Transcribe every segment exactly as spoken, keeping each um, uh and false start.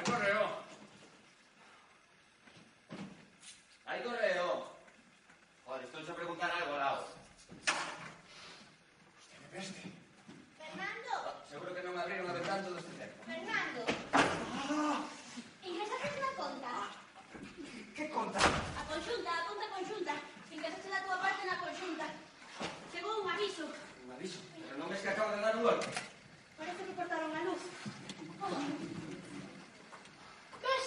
Hai correo. Hai correo. Joder, estoy a preguntar algo, Lao. Hostia, me peste. Fernando. Ah, seguro que non abriron a ventana todo este tempo. Fernando. Ah! Ingresaste na conta? Que conta? A conxunta, a conta conxunta. Ingresaste da tua parte na conxunta. Chegou un aviso. Un aviso. Pero non ves que acaba de dar un golpe. Parece que cortaron a luz. Oh. Ves?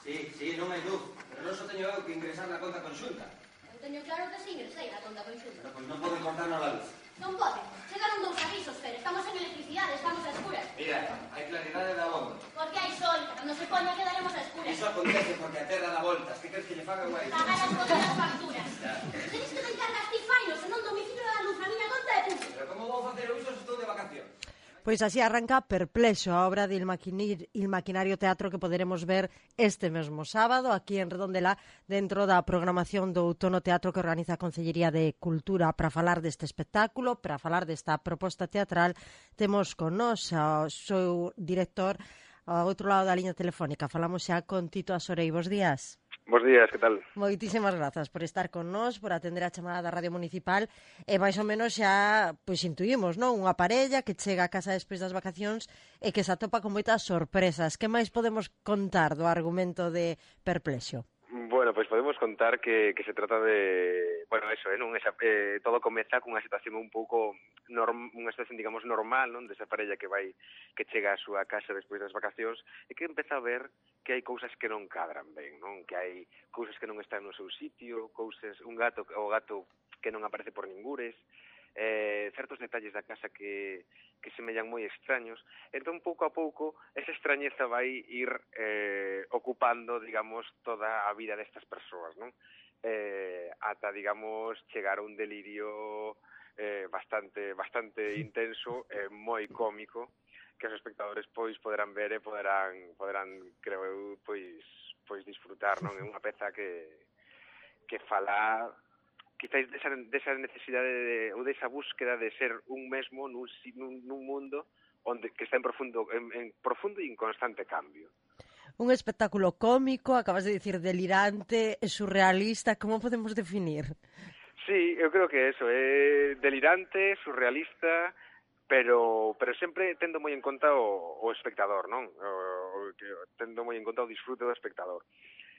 Sí, sí, non hai luz. Pero non só teño eu que ingresar na conta conxunta. Eu teño claro que se ingresei na conta conxunta. Pero pois non poden cortarnos a luz. Non poden. Chegaron dous avisos, Fer. Estamos en electricidade, estamos a escuras. Mira, hai claridade da bomba. Porque hai sol. Cando se poña quedaremos a escuras. Iso acontece porque a terra dá voltas. Que crees que lle faga guai? Pagar as contas das facturas. Tenes que deixar as tifainos, senón domicilio da luz. A miña conta é pública. Pero como vou facer eu iso se estou de vacacións? Pois así arranca Perplexo, a obra de Il, Maquinir, Il Maquinario Teatro que poderemos ver este mesmo sábado aquí en Redondela dentro da programación do Outono Teatro que organiza a Consellería de Cultura. Para falar deste espectáculo, para falar desta proposta teatral, temos con nós ao seu director ao outro lado da liña telefónica. Falamos xa con Tito Asorei. Bos días. Bos días, que tal? Moitísimas grazas por estar con nós, por atender a chamada da Radio Municipal e máis ou menos xa pois intuímos, non? Unha parella que chega a casa despois das vacacións e que se atopa con moitas sorpresas. Que máis podemos contar do argumento de Perplexo? Bueno, pois pues podemos contar que, que se trata de... Bueno, eso, eh, non? Esa, eh, todo comeza cunha situación un pouco... Norm, unha situación, digamos, normal, non? Desa parella que vai, que chega á súa casa despois das vacacións e que empeza a ver que hai cousas que non cadran ben, non? Que hai cousas que non están no seu sitio, cousas, un gato, o gato que non aparece por ningures, eh, certos detalles da casa que, que semellan moi extraños. Entón, pouco a pouco, esa extrañeza vai ir eh, ocupando, digamos, toda a vida destas persoas, non? Eh, ata, digamos, chegar a un delirio eh, bastante bastante intenso e eh, moi cómico que os espectadores pois poderán ver e poderán poderán creo eu pois pois disfrutar, non? É unha peza que que fala quizáis desa, desa necesidade de, ou desa búsqueda de ser un mesmo nun, nun, nun mundo onde que está en profundo en, en profundo e inconstante cambio. Un espectáculo cómico, acabas de dicir delirante, surrealista, como podemos definir? Sí, eu creo que eso, é delirante, surrealista, pero pero sempre tendo moi en conta o, o espectador, non? O, o, tendo moi en conta o disfrute do espectador.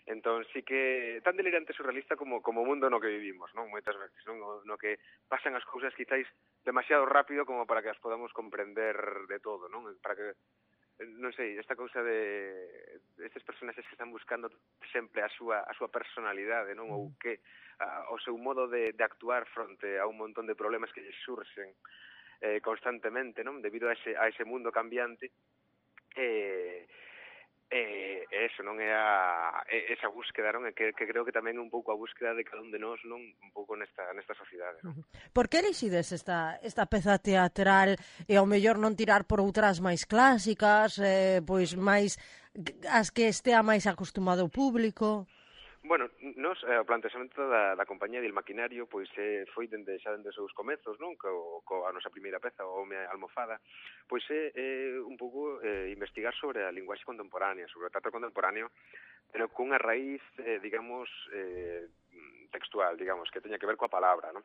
Entón, sí que tan delirante e surrealista como como o mundo no que vivimos, non? Moitas veces, non? No, no que pasan as cousas quizáis demasiado rápido como para que as podamos comprender de todo, non? Para que non sei, esta cousa de estes personaxes que están buscando sempre a súa a súa personalidade, non? Ou que a, o seu modo de, de actuar fronte a un montón de problemas que lles surxen eh, constantemente, non? Debido a ese a ese mundo cambiante. Eh, E eh, eso, non é a é esa búsqueda, non? É que, que creo que tamén é un pouco a búsqueda de cada un de nós, non? Un pouco nesta nesta sociedade, non? Por que elixides esta esta peza teatral e ao mellor non tirar por outras máis clásicas, eh, pois máis as que estea máis acostumado o público? Bueno, nos, eh, o plantexamento da, da compañía de Il Maquinario pois eh, foi dende xa dende os seus comezos, non? Co, co a nosa primeira peza, o Home Almofada, pois é eh, un pouco eh, investigar sobre a linguaxe contemporánea, sobre o teatro contemporáneo, pero cunha raíz, eh, digamos, eh, textual, digamos, que teña que ver coa palabra, non?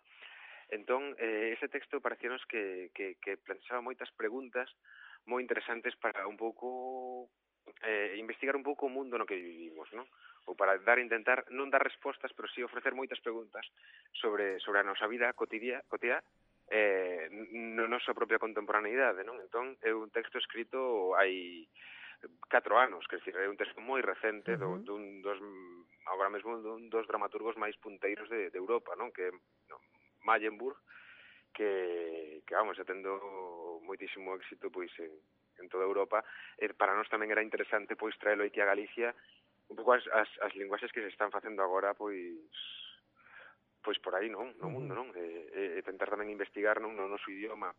Entón, eh, ese texto parecíanos que, que, que planteaba moitas preguntas moi interesantes para un pouco eh, investigar un pouco o mundo no que vivimos, non? Ou para dar intentar non dar respostas, pero sí ofrecer moitas preguntas sobre sobre a nosa vida cotidiana, cotidiana eh, na nosa propia contemporaneidade, non? Entón, é un texto escrito hai catro anos, que é un texto moi recente do, dun dos, agora mesmo, dun dos dramaturgos máis punteiros de, de Europa, non? Que é no, Mallenburg, que, que vamos, atendo moitísimo éxito pois en, en toda Europa. E para nós tamén era interesante pois traelo aquí a Galicia, un pouco as, as, as linguaxes que se están facendo agora, pois pois por aí, non? No mundo, non? E, e tentar tamén investigar, non? No noso idioma,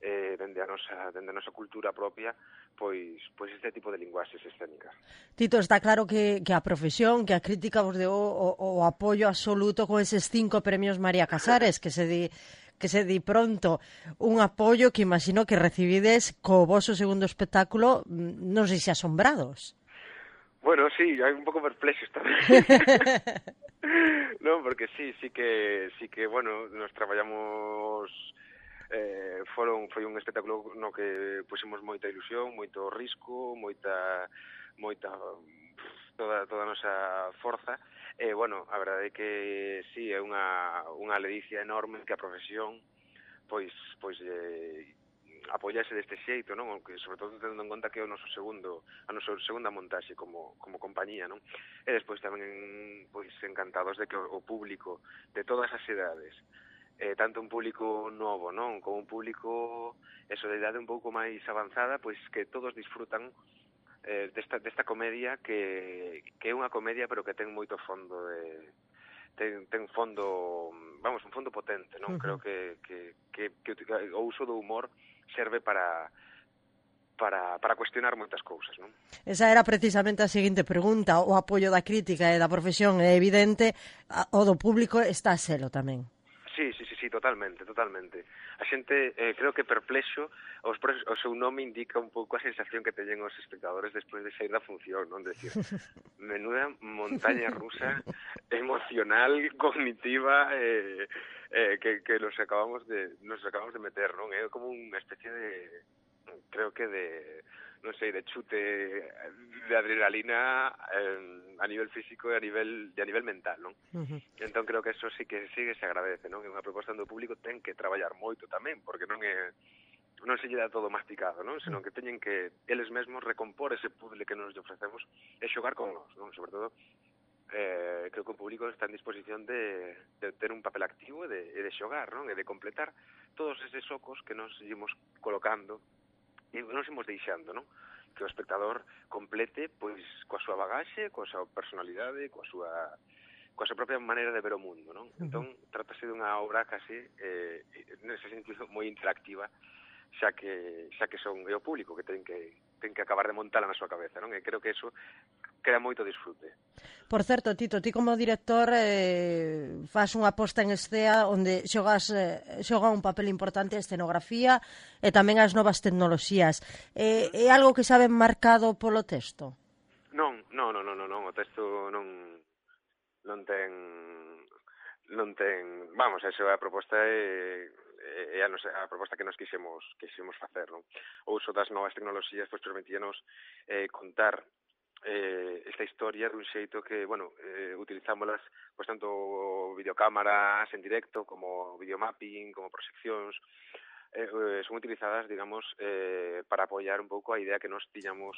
eh, dende a nosa dende a nosa cultura propia, pois pois este tipo de linguaxes escénicas. Tito, está claro que, que a profesión, que a crítica vos deu o, o apoio absoluto con eses cinco premios María Casares, que se di que se di pronto un apoio que imagino que recibides co voso segundo espectáculo, non sei se asombrados. Bueno, sí, hai un pouco perplexos tamén. Non, porque sí, sí que, sí que, bueno, nos traballamos, eh, foron, foi un espectáculo no que pusimos moita ilusión, moito risco, moita, moita, toda, toda a nosa forza, e, bueno, a verdade é que sí, é unha, unha ledicia enorme que a profesión, pois, pois, eh, apoiarse deste xeito, non? Que sobre todo tendo en conta que é o noso segundo, a nosa segunda montaxe como como compañía, non? E despois tamén pois encantados de que o público de todas as edades, eh, tanto un público novo, non, como un público eso de idade un pouco máis avanzada, pois que todos disfrutan eh, desta desta comedia que que é unha comedia pero que ten moito fondo de ten ten fondo, vamos, un fondo potente, non? Uh-huh. Creo que que que que o uso do humor serve para para para cuestionar moitas cousas, non? Esa era precisamente a seguinte pregunta. O apoio da crítica e da profesión é evidente, o do público está a selo tamén. Sí, sí, sí, sí, totalmente, totalmente. A xente, eh, creo que perplexo, os, o seu nome indica un pouco a sensación que teñen os espectadores despois de sair da función, non? Decir, menuda montaña rusa emocional, cognitiva, eh, eh, que, que nos acabamos de nos acabamos de meter, non? É como unha especie de, creo que de, non sei, de chute de adrenalina eh, a nivel físico e a nivel, de a nivel mental, non? Uh-huh. Entón creo que eso sí que sí que se agradece, non? É unha proposta do público ten que traballar moito tamén, porque non é non se lle dá todo masticado, non? Senón que teñen que eles mesmos recompor ese puzzle que nos ofrecemos e xogar con nós, non? Sobre todo eh, creo que o público está en disposición de, de ter un papel activo e de, de xogar, non? E de completar todos eses socos que nos ímos colocando e nos ímos deixando, non? Que o espectador complete pois coa súa bagaxe, coa súa personalidade, coa súa coa súa propia maneira de ver o mundo, non? Entón, trátase dunha obra casi eh, nese sentido moi interactiva, xa que xa que son é o público que ten que ten que acabar de montala na súa cabeza, non? E creo que eso crea moito disfrute. Por certo, Tito, ti como director eh, faz unha posta en escena onde xogas eh, xoga un papel importante a escenografía e tamén as novas tecnoloxías. Eh, é algo que saben marcado polo texto? Non, non, non, non, non, o texto non non ten non ten, vamos, esa é a proposta e é a, nosa, a proposta que nos quixemos quixemos facer, non? O uso das novas tecnoloxías pois permitíanos eh, contar eh, esta historia dun xeito que, bueno, eh, utilizámolas pois tanto videocámaras en directo como videomapping, como proxeccións, eh, eh, son utilizadas, digamos, eh, para apoiar un pouco a idea que nos tiñamos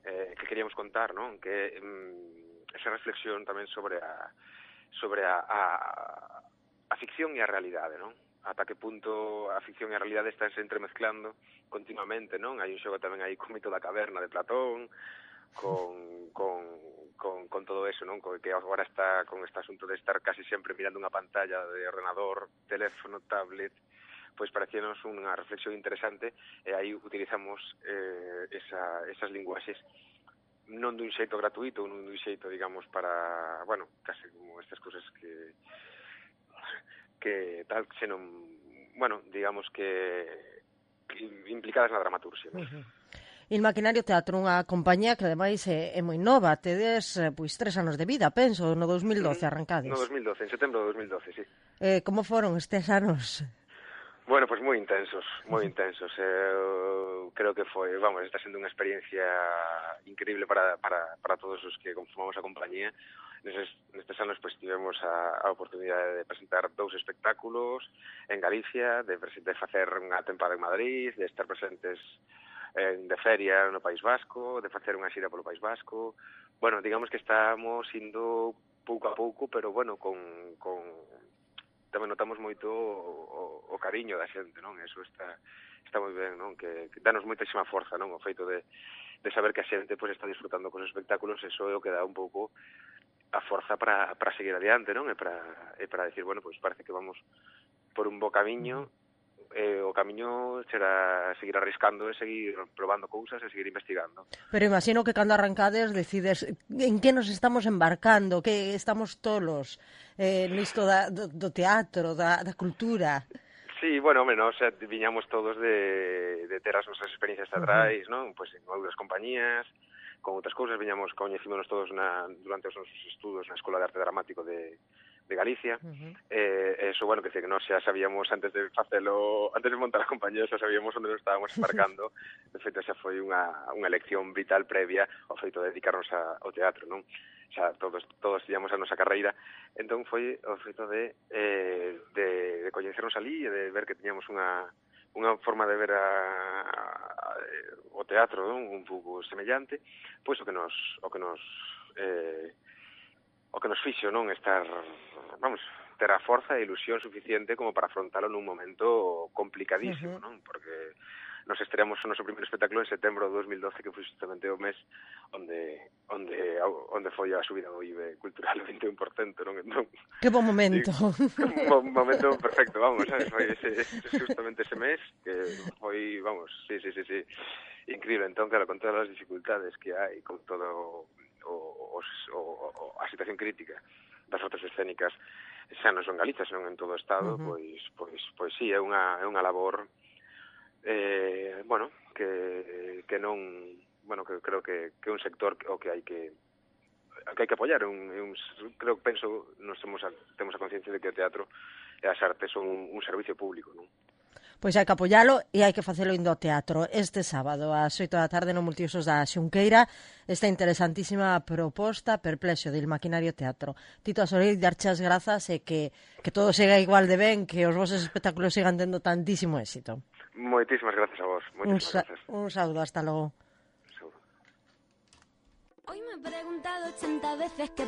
eh, que queríamos contar, non? Que mm, esa reflexión tamén sobre a sobre a, a, a ficción e a realidade, non? Ata que punto a ficción e a realidade están se entremezclando continuamente, non? Hai un xogo tamén aí co mito da caverna de Platón, con, con, con, con todo eso, non? Que agora está con este asunto de estar casi sempre mirando unha pantalla de ordenador, teléfono, tablet, pois parecíanos unha reflexión interesante e aí utilizamos eh, esa, esas linguaxes non dun xeito gratuito, non dun xeito, digamos, para, bueno, casi como estas cousas que que tal, senón, bueno, digamos que, que implicadas na dramaturxia, non? Uh-huh. Il Maquinario Teatro, unha compañía que ademais é, é moi nova, tedes pois tres anos de vida, penso, no dos mil doce arrancades. No dos mil doce, en setembro de dos mil doce, sí. Eh, como foron estes anos? Bueno, pois pues moi intensos, moi intensos. Eu creo que foi, vamos, está sendo unha experiencia increíble para, para, para todos os que conformamos a compañía. Nestes, nestes anos pues, tivemos a, a oportunidade de presentar dous espectáculos en Galicia, de, de facer unha tempada en Madrid, de estar presentes en, de feria no País Vasco, de facer unha xira polo País Vasco. Bueno, digamos que estamos indo pouco a pouco, pero bueno, con... con tamén notamos moito o, o, o cariño da xente, non? Eso está está moi ben, non? Que, que danos moitísima forza, non? O feito de, de saber que a xente pues, está disfrutando cos espectáculos, eso é o que dá un pouco a forza para, para seguir adiante, non? E para, e para decir, bueno, pues parece que vamos por un bo camiño, e o camiño será seguir arriscando e seguir probando cousas e seguir investigando. Pero imagino que cando arrancades decides en que nos estamos embarcando, que estamos tolos eh, nisto da, do, do teatro, da, da cultura. Sí, bueno, home, nós xa viñamos todos de, de ter as nosas experiencias teatrais, uh-huh. non? Pois en outras compañías, con outras cousas, viñamos, coñecímonos todos na, durante os nosos estudos na Escola de Arte Dramático de, de Galicia. Uh-huh. Eh, eso, bueno, que que nós xa sabíamos antes de facelo, antes de montar a compañía, xa sabíamos onde nos estábamos embarcando. De feito, xa foi unha, unha lección vital previa ao feito de dedicarnos a, ao teatro, non? Xa todos todos tiñamos a nosa carreira, entón foi o feito de eh, de, de coñecernos ali e de ver que tiñamos unha unha forma de ver a, a, o teatro, non? Un pouco semellante, pois o que nos o que nos eh, o que nos fixo, non, estar, vamos, ter a forza e ilusión suficiente como para afrontalo nun momento complicadísimo, uh-huh. non? Porque nos estreamos o noso primeiro espectáculo en setembro de dos mil doce, que foi justamente o mes onde onde onde foi a subida do I B E cultural do vinte e un por cento, non? Entón, que bon momento. Un momento perfecto, vamos, sabes? Foi ese, ese, justamente ese mes que foi, vamos, sí, sí, sí, sí, increíble. Entón, claro, con todas as dificultades que hai, con todo o, os, o, o, a situación crítica das artes escénicas, xa non son Galicia, senón en todo o Estado, uh-huh. pois, pois, pois sí, é unha, é unha labor eh, bueno, que, que non, bueno, que creo que, que é un sector o que hai que que hai que apoiar, un, un, creo que penso, nos temos a, temos a conciencia de que o teatro e as artes son un, un servicio público, non? Pois hai que apoialo e hai que facelo indo ao teatro. Este sábado, ás oito da tarde, no Multiusos da Xunqueira, esta interesantísima proposta Perplexo, del Maquinario Teatro. Tito Asoreiro, darche as grazas e que, que todo siga igual de ben, que os vosos espectáculos sigan tendo tantísimo éxito. Moitísimas gracias a vos. Moitísimas un, sa- gracias. Un saúdo, hasta logo. Hoy me he preguntado ochenta veces que